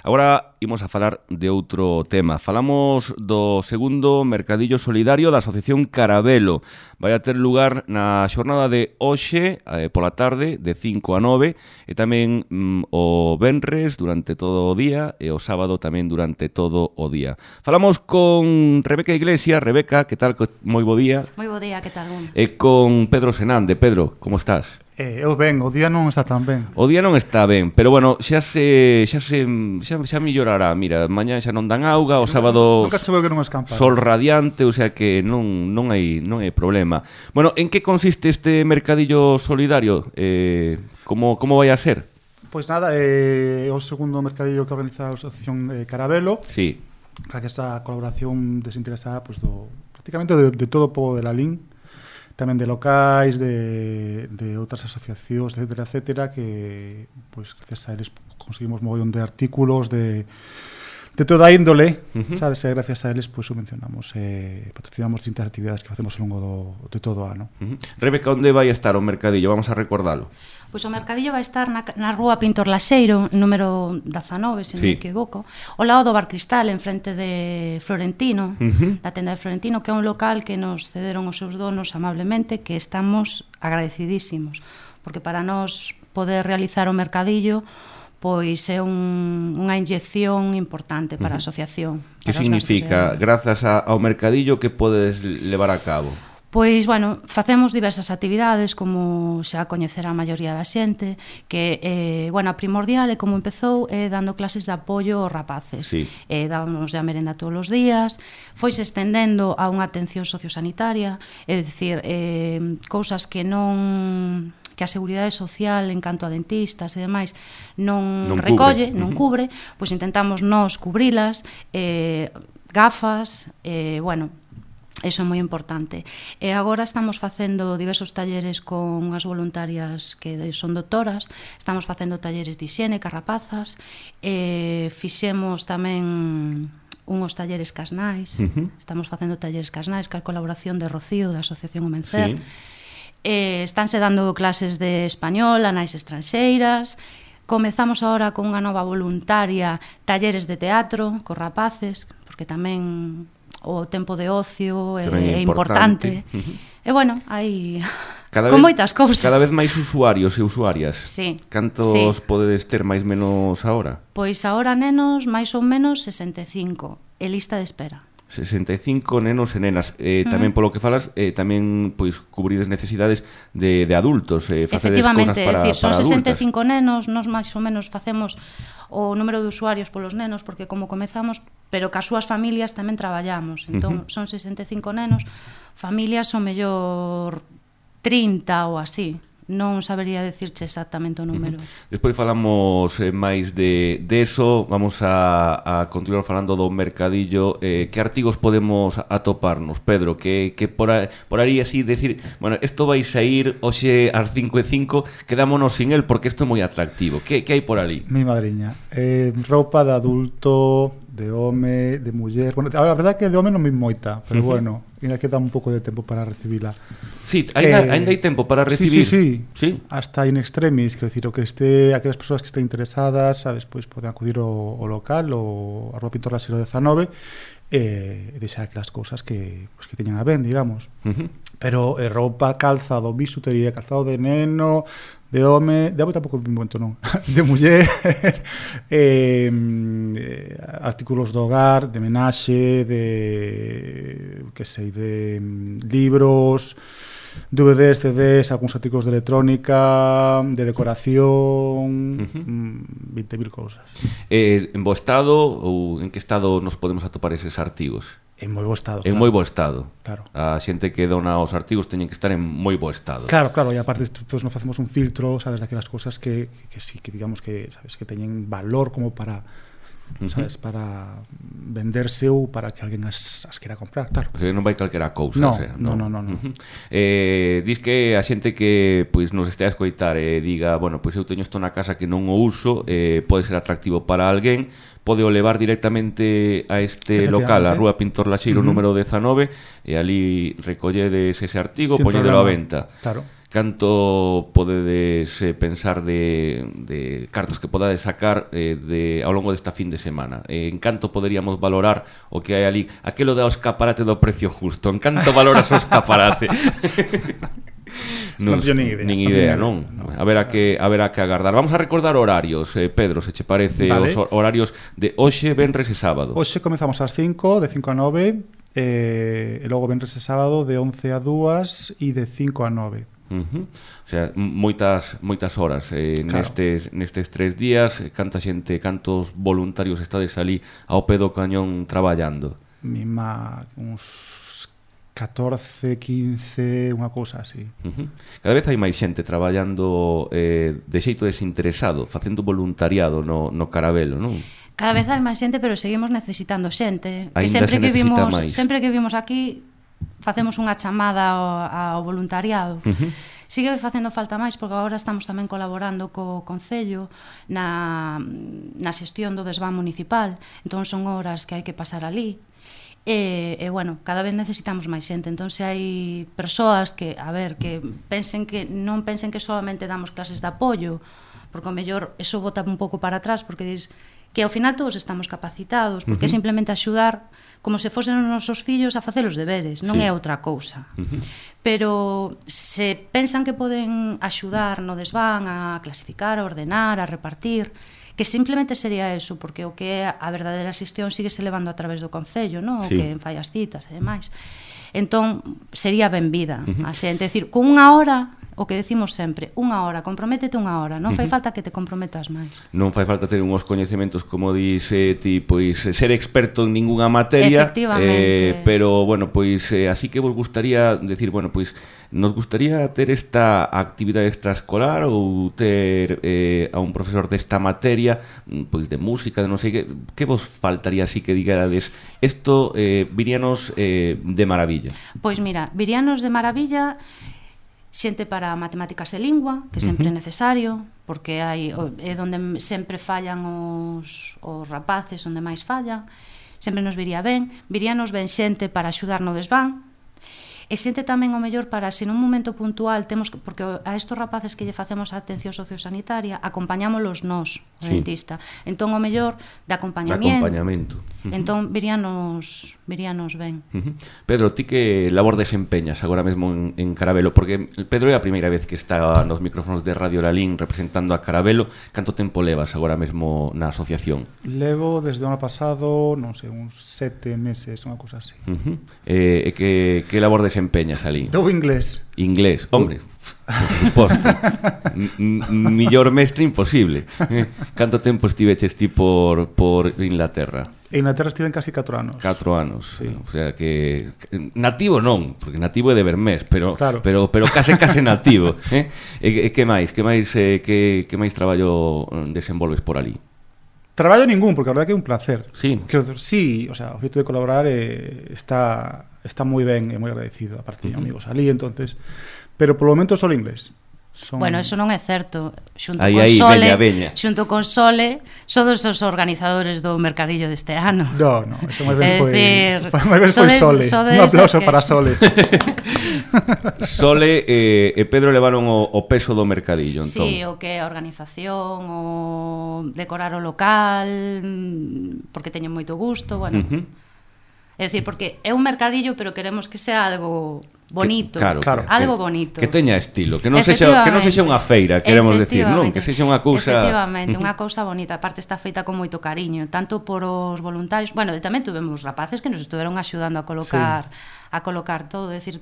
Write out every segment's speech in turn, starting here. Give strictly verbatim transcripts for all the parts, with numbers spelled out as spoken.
Agora imos a falar de outro tema. Falamos do segundo Mercadillo Solidario da Asociación Carabelo. Vai a ter lugar na xornada de hoxe, eh, pola tarde, de cinco a nove, e tamén mm, o venres durante todo o día, e o sábado tamén durante todo o día. Falamos con Rebeca Iglesias. Rebeca, que tal? Moi bo día. Moi bo día, que tal? Un? E con Pedro Senande. Pedro, como estás? Eh, eu ben, o día non está tan ben. O día non está ben, pero bueno, xa se xa se xa, xa mellorará. Mira, mañá xa non dan auga, o sábado Nunca choveu que non escampa. Sol radiante, o sea que non non hai non hai problema. Bueno, en que consiste este mercadillo solidario? Eh, como como vai a ser? Pois nada, é eh, o segundo mercadillo que organiza a Asociación eh, Carabelo. Sí. Gracias á colaboración desinteresada pues, do, prácticamente de, de todo o pobo de Lalín, tamén de locais, de, de outras asociacións, etcétera, etcétera, que, pues, gracias a eles conseguimos mogollón de artículos, de, de toda índole, uh-huh. sabes, e gracias a eles, pues, subvencionamos, eh, patrocinamos distintas actividades que facemos ao longo do, de todo o ano. Uh-huh. Rebeca, onde vai estar o mercadillo? Vamos a recordalo. Pois o mercadillo vai estar na, na rúa Pintor Laxeiro, número dezanove, se non sí. me equivoco, ao lado do Bar Cristal, en frente de Florentino, uh-huh. da tenda de Florentino, que é un local que nos cederon os seus donos amablemente, que estamos agradecidísimos, porque para nós poder realizar o mercadillo pois é un, unha inyección importante para uh-huh. a asociación. Que significa, grazas a, ao mercadillo, que podes levar a cabo? Pois, bueno, facemos diversas actividades, como xa coñecerá a maioría da xente, que, eh, bueno, a primordial é como empezou é dando clases de apoio aos rapaces. Sí. Eh, dábamos de a merenda todos os días, foise estendendo a unha atención sociosanitaria, é dicir, eh, cousas que non que a Seguridade Social en canto a dentistas e demais non, non recolle, cubre. non uh-huh. cubre, pois intentamos nós cubrilas, eh, gafas, eh, bueno, iso é moi importante. E agora estamos facendo diversos talleres con unhas voluntarias que son doctoras, estamos facendo talleres de higiene, carrapazas, e fixemos tamén unhos talleres casnais, uh-huh. estamos facendo talleres casnais, que a colaboración de Rocío, da Asociación O Mencer. Sí. Eh, estánse dando clases de español a nais estranxeiras. Comezamos agora con unha nova voluntaria, talleres de teatro, cos rapaces, porque tamén o tempo de ocio é, é importante. importante. Uh-huh. E bueno, hai cada con vez, moitas cousas. Cada vez máis usuarios e usuarias. Sí. Cantos sí. podedes ter máis menos agora? Pois agora, nenos, máis ou menos sesenta e cinco. E lista de espera. sesenta e cinco nenos e nenas. Eh, tamén polo que falas, eh, tamén pois cubrides necesidades de, de adultos, eh, facedes cousas para, decir, son para sesenta e cinco nenos, nós máis ou menos facemos o número de usuarios polos nenos, porque como comezamos, pero que as súas familias tamén traballamos. Entón, uh-huh. son sesenta e cinco nenos, familias o mellor trinta ou así. Non sabería decirche exactamente o número. Uh-huh. Despois falamos eh, máis de, de eso. Vamos a, a continuar falando do mercadillo. eh, Que artigos podemos atoparnos, Pedro? Que, que por, a, por aí así decir, bueno, isto vai sair hoxe ás cinco e cinco, quedámonos sin el porque isto é moi atractivo. Que, que hai por ali? Mi madriña, eh, roupa de adulto, de home, de muller. Bueno, a verdade é que de home non me moita, pero uh-huh. bueno, ainda queda un pouco de tempo para recibila. Sí, ainda, eh, ainda hai tempo para recibir. Sí, sí, sí. ¿Sí? Hasta in extremis, quero dicir, o que este, aquelas persoas que estén interesadas, sabes, pois poden acudir ao, ao local, o a Rúa Pintor Laxeiro dezanove, e eh, deixar aquelas cousas que, pues, que teñan a ben, digamos. Uh-huh. Pero eh, roupa, calzado, bisutería, calzado de neno, de home, de home tampouco me momento non, de muller, eh, eh, artículos do hogar, de menaxe, de, que sei, de um, libros, D V Ds, C Ds, algúns artículos de electrónica, de decoración, uh-huh. veinte mil cousas. Eh, en bo estado ou en que estado nos podemos atopar eses artigos? En moi bo estado. En claro. moi bo estado. Claro. A xente que dona os artigos teñen que estar en moi bo estado. Claro, claro, e aparte pues, nos facemos un filtro, sabes, daquelas cousas que, que, que sí, que digamos que, sabes, que teñen valor como para, uh-huh. sabes, para venderse ou para que alguén as, as quera comprar, claro. O sea, non vai calquera cousa, no, o sea, no, no, no, no. Uh-huh. Eh, dis que a xente que pois nos este a escoitar e eh, diga, bueno, pois eu teño isto na casa que non o uso, eh, pode ser atractivo para alguén, pode o levar directamente a este local, a Rúa Pintor Laxeiro uh-huh. número dezanove, e ali recolledes ese artigo, poñedelo a venta. Claro. canto podedes eh, pensar de, de cartos que podades sacar eh, de, ao longo desta fin de semana? Eh, en canto poderíamos valorar o que hai ali? Aquelo da escaparate do precio justo, en canto valoras o escaparate? Non, non teño nin idea, nin idea, non? non? A ver a que a ver a que agardar. Vamos a recordar horarios, eh, Pedro, se che parece, vale. Os horarios de hoxe, venres e sábado. Hoxe comezamos ás cinco, de cinco a nove, eh, e logo venres e sábado de once a dúas e de cinco a nove. Uh-huh. O sea, moitas moitas horas eh, claro. nestes nestes tres días, canta xente, cantos voluntarios estades ali ao pé do cañón traballando? Mima uns catorce, quince, unha cousa así. Uh-huh. Cada vez hai máis xente traballando eh, de xeito desinteresado, facendo voluntariado no, no Carabelo, non? Cada vez hai máis xente, pero seguimos necesitando xente. Ainda que sempre se que vimos, máis. sempre que vimos aquí facemos unha chamada ao, ao voluntariado. Uh-huh. Sigue facendo falta máis porque agora estamos tamén colaborando co Concello na, na xestión do desván municipal, entón son horas que hai que pasar ali. E, e bueno, cada vez necesitamos máis xente, entón se hai persoas que, a ver, que pensen que non pensen que solamente damos clases de apoio, porque o mellor eso bota un pouco para atrás, porque dis que ao final todos estamos capacitados, porque uh-huh. é simplemente axudar como se fosen os nosos fillos a facer os deberes, non sí. é outra cousa. Uh-huh. Pero se pensan que poden axudar no desván a clasificar, a ordenar, a repartir, que simplemente sería eso, porque o que é a verdadeira xestión sigue se levando a través do Concello, non? Sí. O que fai as citas e demais. Entón, sería benvida uh-huh. a xente, é dicir, con unha hora, o que decimos sempre, unha hora, comprométete unha hora, non fai uh-huh. falta que te comprometas máis. Non fai falta ter unhos coñecementos, como dice ti, pois ser experto en ningunha materia, eh, pero, bueno, pois eh, así que vos gustaría decir, bueno, pois nos gustaría ter esta actividade extraescolar ou ter eh, a un profesor desta materia, pois de música, de non sei que, que vos faltaría así que digarades, isto eh, viríanos eh, de maravilla? Pois mira, viríanos de maravilla xente para matemáticas e lingua, que sempre uh-huh. é necesario, porque hai é onde sempre fallan os, os rapaces, onde máis fallan, sempre nos viría ben, viríanos ben xente para axudar no desván, e xente tamén o mellor para, se nun momento puntual temos, porque a estos rapaces que lle facemos a atención sociosanitaria acompañámolos nós, o sí. dentista, entón o mellor de acompañamiento, acompañamento. Uh-huh. entón viríanos viríanos ben. Uh-huh. Pedro, ti que labor desempeñas agora mesmo en, en Carabelo? Porque Pedro é a primeira vez que está nos micrófonos de Radio Lalín representando a Carabelo. Canto tempo levas agora mesmo na asociación? Levo desde o ano pasado, non sei, uns sete meses, unha cousa así. Uh-huh. E eh, que, que labor desempeñas ali? Dou inglés. Inglés, hombre, por suposto. Millor mestre imposible. Canto tempo estiveches ti por, por Inglaterra? En Inglaterra estiven casi catro anos. Catro anos, sí. O sea que nativo non, porque nativo é de Bermés, pero claro. pero pero case case nativo, eh? E, e que máis? Que máis eh, que que máis traballo desenvolves por ali? Traballo ningún, porque a verdade que é un placer. Sí. Quero decir, sí, o sea, o feito de colaborar eh, está está moi ben e moi agradecido, aparte uh-huh. amigos ali, entonces, pero polo momento só inglés. Son... Bueno, eso non é certo. Xunto aí, con aí, Sole, veña, veña. xunto con Sole, sodes os organizadores do mercadillo deste ano. No, no, eso máis ben foi, decir, máis ben foi Sole. Un aplauso que... para Sole. Sole eh, e Pedro levaron o, o peso do mercadillo, entón. Sí, o que é a organización, o decorar o local, porque teñen moito gusto, bueno. Uh-huh. É dicir, porque é un mercadillo, pero queremos que sea algo bonito, que, claro, claro, algo que, bonito. Que teña estilo, que non sexa que non sexa unha feira, queremos decir, non, que sexa unha cousa. Efectivamente, unha cousa bonita, aparte está feita con moito cariño, tanto por os voluntarios, bueno, tamén tuvemos rapaces que nos estuveron axudando a colocar, sí. a colocar todo, é dicir,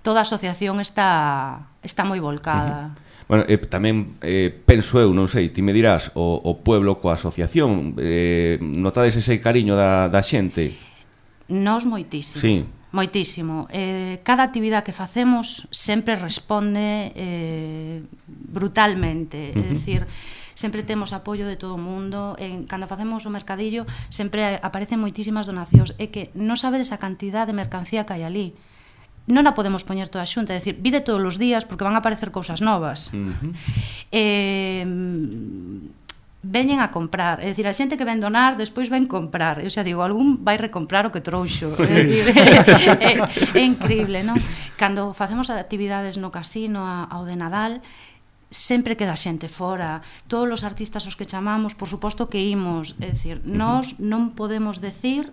toda a asociación está está moi volcada. Uh-huh. Bueno, eh, tamén eh, penso eu, non sei, ti me dirás, o, o pueblo coa asociación, eh, notades ese cariño da, da xente? Nós moitísimo. Sí. Moitísimo. Eh, cada actividade que facemos sempre responde eh, brutalmente. Uh-huh. É dicir, sempre temos apoio de todo o mundo. En, cando facemos o mercadillo, sempre aparecen moitísimas donacións. É que non sabedes a cantidad de mercancía que hai ali. Non a podemos poñer toda a xunta, é dicir, vide todos os días porque van a aparecer cousas novas. Uh-huh. Eh... veñen a comprar, é dicir, a xente que ven donar despois ven comprar, eu xa digo, algún vai recomprar o que trouxo, sí. é, é, é increíble, non? Cando facemos actividades no casino ao de Nadal, sempre queda xente fora. Todos os artistas aos que chamamos, por suposto que imos, é dicir, nós non podemos decir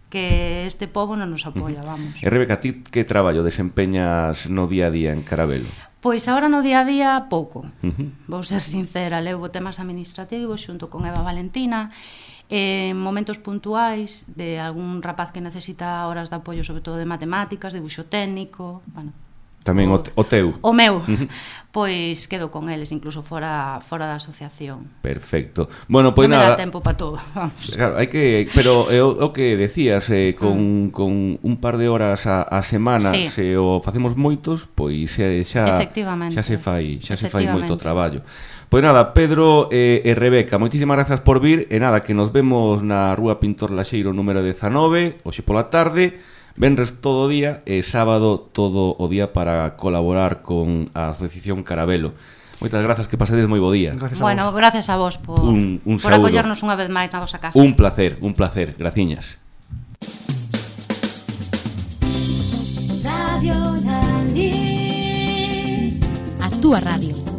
que este pobo non nos apoia, vamos. E Rebeca, ti que traballo desempeñas no día a día en Carabelo? Pois agora no día a día pouco. Uh-huh. Vou ser sincera, levo temas administrativos xunto con Eva Valentina, en momentos puntuais de algún rapaz que necesita horas de apoio, sobre todo de matemáticas, dibuixo técnico, bueno, tamén o, o teu. O meu, uh-huh. Pois quedo con eles, incluso fora fora da asociación. Perfecto. Bueno, pois non nada. me dá tempo para todo, vamos. Claro, hai que, pero é o, o que decías, eh, con, mm. con un par de horas a, a semana, sí. Se o facemos moitos, pois xa xa xa se fai, xa se fai moito traballo. Pois nada, Pedro e, e Rebeca, moitísimas grazas por vir, e nada, que nos vemos na Rúa Pintor Laxeiro número dezanove, hoxe pola tarde. Venres todo o día e sábado todo o día para colaborar con a Asociación Carabelo. Moitas grazas, que pasedes moi bo día. Gracias bueno, gracias a vos por, un, un por acollernos unha vez máis na vosa casa. Un placer, un placer. Graciñas. Radio Nandi. A túa radio.